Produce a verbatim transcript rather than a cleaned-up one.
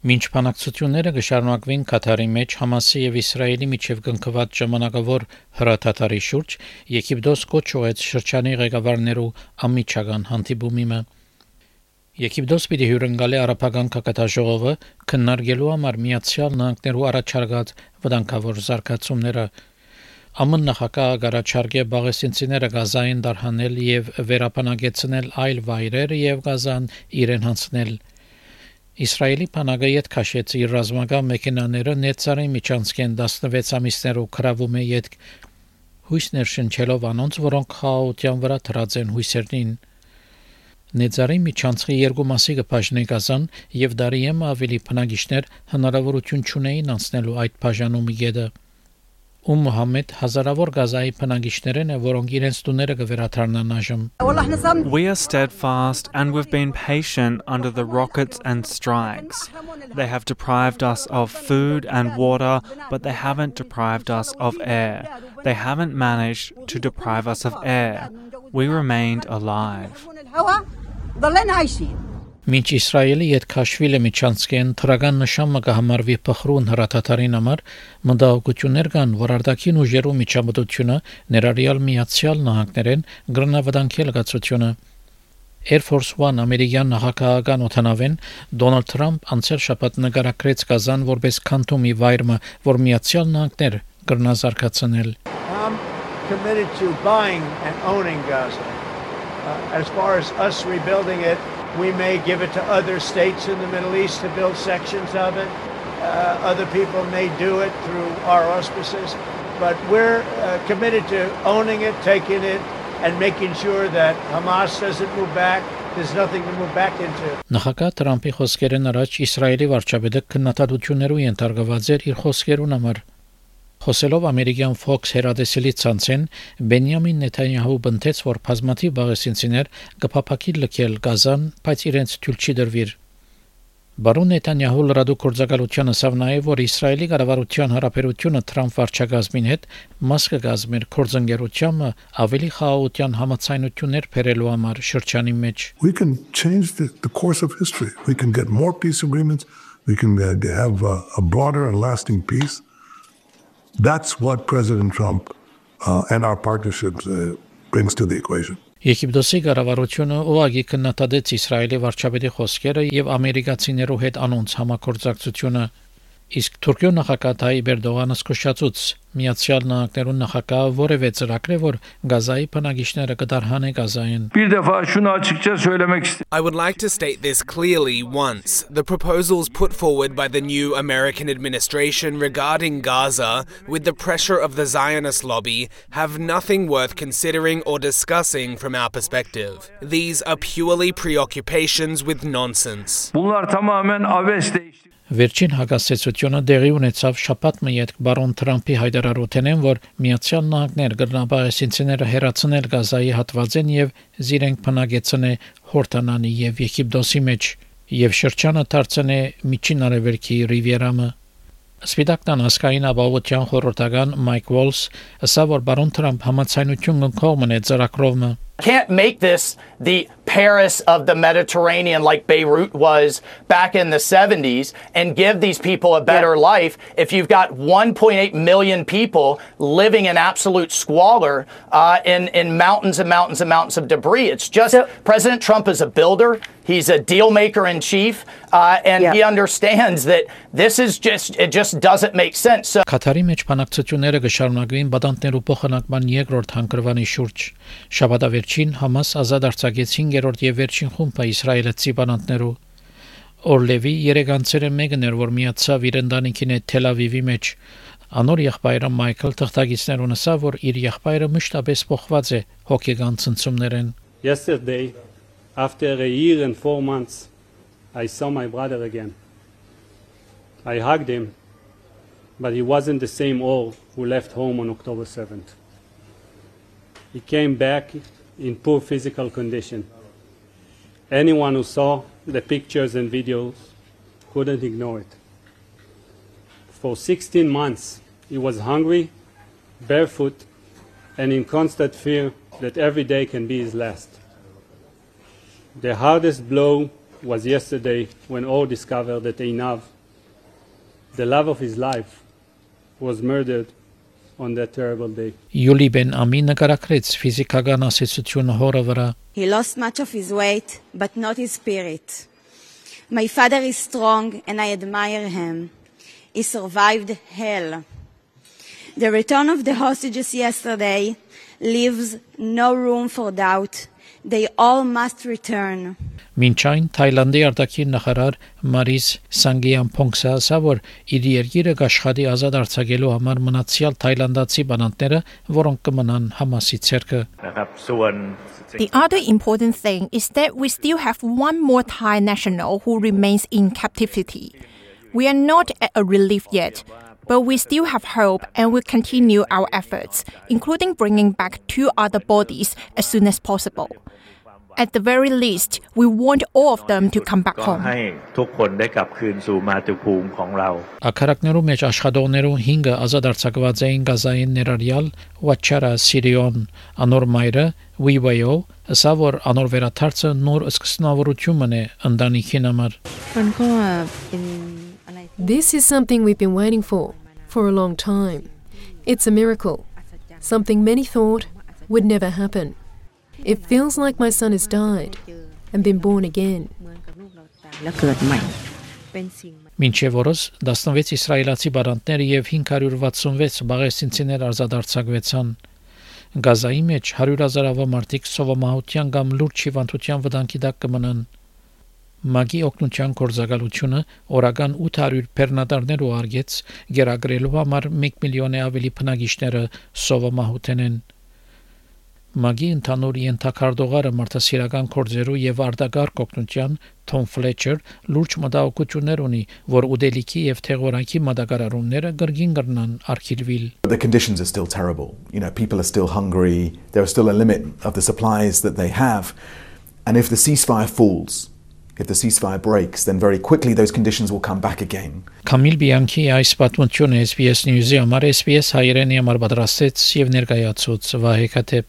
Մինչ բանակցությունները կշարունակվին Կատարի մեջ Համասի եւ Իսրայելի միջև կնքված ժամանակավոր հրաթաթարի շուրջ, Եգիպտոս կոչ ուղեց շրջանի ղեկավարներու ամիջական հանդիպումը։ Եգիպտոս պիտի հյուրընկալի արաբական քաղաքաժողովը քննարկելու համար Միացյալ Նահանգներու առաջարկած վտանգավոր զարգացումները։ ԱՄՆ նախագահը կառաջարկե բաղեսինցիները Գազային դարհանել եւ վերապանագեցնել այլ վայրեր եւ Գազան իրեն հանձնել։ Իսրայելի բանակը յետ քաշեց իր ռազմական մեքենաները Նեցարի միջանցքեն տասնվեց ամիսներով քրավում է յետ հույսներ շնչելով անոնց, որոնք խաղաղության վրա դրած են հույսերին։ Նեցարի միջանցքի երկու մասի կբաժնի Գազան եւ դարիեմ ավելի բնակիչներ հնարավորություն չունեին անցնելու այդ բաժանումի գետը։ Ու Մուհամմեդ հազարավոր Գազայի բնակիչներն են, որոնք իրենց տուները կվերաթարնան այժմ։ We are steadfast and we've been patient under the rockets and strikes. They have deprived us of food and water, but they haven't deprived us of air. They haven't managed to deprive us of air. We remained alive. Մինչ Իսրայելի յետ քաշվիլը միջանցքեն թրական նշանը կհամարվի փխրուն հրաթաթարին համար մտահոգություններ կան, որ արտաքին ուժերու միջամտությունը ներառյալ Միացյալ Նահանգներեն գրնավտանգել գացությունը։ Air Force One ամերիկյան նախագահական օթանավեն Դոնալդ Թրամփ անցյալ շաբաթ նկարագրեց Գազան որպես քանթումի վայրը, որ Միացյալ Նահանգներ գրնազարգացնել։ I'm committed to buying and owning Gaza. Uh, as far as us rebuilding it, we may give it to other states in the Middle East to build sections of it. Uh, other people may do it through our auspices. But we're uh, committed to owning it, taking it, and making sure that Hamas doesn't move back. There's nothing to move back into. Նախագահ Թրամփի խոսքերն առաջ Իսրայելի վարչապետը քննադատություններու ենթարկված էր իր խոսքերուն համար։ Խոսելով ամերիկյան Fox հեռադեսիլի ցանցեն Բենյամին Նեթանյահու բնթեց, որ բազմաթիվ բաղեսինցիներ կփափակի լքել Գազան, բայց իրենց թույլ չի դրվիր։ Բարոն Նեթանյահու լրատու գործակալությունը ասավ նաև, որ Իսրայելի կառավարության հարաբերությունը Թրամփ վարչակազմին հետ մաս կգազմեր կորձընկերությանը ավելի խաղաղության համաձայնություններ բերելու համար շրջանի մեջ։ We can change the, the course of history. We can get more peace agreements. We can uh, have a, a broader and lasting peace. That's what President Trump uh, and our partnerships uh, brings to the equation. Եգիպտոսի կառավարությունը ուղղակի քննադատեց Իսրայելի վարչապետի խոսքերը եւ ամերիկացիներու հետ անոնց համագործակցությունը։ Իսկ Թուրքիո նախագահ Թայիպ Էրդողանը զսկուշացուց Միացյալ Նահանգներու նախագահը որևէ ծրագրեր որ Գազայի բնակիչները կդարհանե Գազային։ Bir defa şunu açıkça söylemek istiyorum. I would like to state this clearly once. The proposals put forward by the new American administration regarding Gaza with the pressure of the Zionist lobby have nothing worth considering or discussing from our perspective. These are purely preoccupations with nonsense. Bunlar tamamen abes değişti. Վերջին հակասեցությունը դեղի ունեցավ շաբաթը յետ բարոն Թրամփի հայտարարութենեն, որ Միացյալ Նահանգներ գրնաբարեսինցիները հերացնել Գազայի հատվածեն եւ զիրենք բնագեցնե Հորտանանի եւ Եգիպտոսի մեջ եւ շրջանը դարձնե Միջին Արևելքի Ռիվիերամը։ Սպիտակտան ասկային ապահովության խորհրդական Մայք Վոլս ասավ, որ բարոն Թրամփ համաձայնություն կողմն է ծրագրովը։ Can't make this the Paris of the Mediterranean like Beirut was back in the seventies and give these people a better life if you've got one point eight million people living in absolute squalor uh, in, in mountains and mountains and mountains of debris. It's just so, President Trump is a builder. He's a deal maker in chief, uh, and yeah. he understands that this is just, it just doesn't make sense. So, Կատարի մեջ բանակցությունները կշարունակվին բադանտներու փոխանակման երկրորդ հանգրվանի շուրջ։ Շաբաթավերջին Համաս ազատ արձակեց հինգերորդ եւ վերջին խումբը իսրայելացի բանտներու։ Օրլևի երեգանցերը մեկն էր, որ միացավ իր ընտանիքին հետ Թել Ավիվի մեջ։ Անոր եղբայրը Մայքլ թղթակիցներուն ասավ, որ իր եղբայրը մշտապես փոխված է հոգեգան ցնցումներեն։ Yesterday, after a year and four months, I saw my brother again. I hugged him, but he wasn't the same Or who left home on October seventh. He came back in poor physical condition. Anyone who saw the pictures and videos couldn't ignore it. For sixteen months, he was hungry, barefoot, and in constant fear that every day can be his last. The hardest blow was yesterday when all discovered that Einav The love of his life was murdered on that terrible day. Յուլի Բեն Ամի նկարագրեց ֆիզիկական ասացությունը հորը վրա. He lost much of his weight, but not his spirit. My father is strong and I admire him. He survived hell. The return of the hostages yesterday leaves no room for doubt. They all must return. Մինչ այն Թայլանդի արտաքին նախարար Մարիս Սանգեամփոնգսը ասավ, որ իր երկիրը կաշխատի ազատ արձակելու համար մնացյալ թայլանդացի բանտները, որոնք կմնան Համասի ցերկը. The other important thing is that we still have one more Thai national who remains in captivity. We are not at a relief yet, but we still have hope and will continue our efforts, including bringing back two other bodies as soon as possible. At the very least, we want all of them to come back home. Ակարակներու մեջ աշխատողներու հինգը ազատ արձակված էին Գազային ներառյալ Վաչարա Սիրիոն, անոր մայրը Վիվայո, ասա որ անոր վերաթարցը նոր սկսնավորություն է ընտանիքին համար. This is something we've been waiting for, for a long time. It's a miracle, something many thought would never happen. It feels like my son has died and been born again. Մինչև օրս տասնվեց իսրայելացի բանտներ եւ հինգ հարյուր վաթսունվեց բաղեսինցիներ ազատարձակվեցան. Գազայի մեջ հարյուր հազարավոր մարդիկ սովամահության կամ լուրջ հիվանդության վտանգի տակ կմնան. Մագի օգնության կորզակալությունը օրական ութ հարյուր բեռնատարներ ուղարկեց գերագրելու համար մեկ միլիոնի ավելի բնակիչները սովամահութեն են. Մագի ընդհանուր ենթակարդողարը մարդասիրական կորձերու եւ արտակարգ օգնության Թոմ Ֆլեչեր լուրջ մտահոգություններ ունի, որ ուդելիքի եւ թեղորակի մատակարարումները գրգին կրնան արխիվիլ. The conditions are still terrible. You know, people are still hungry. There is still a limit of the supplies that they have. And if the ceasefire falls, if the ceasefire breaks, then very quickly those conditions will come back again. Կամիլ Բիանքի այս պատմությունը S B S News-ի համար S B S հայերենի համար պատրաստեց եւ ներկայացուց Վահե Քաթեփ.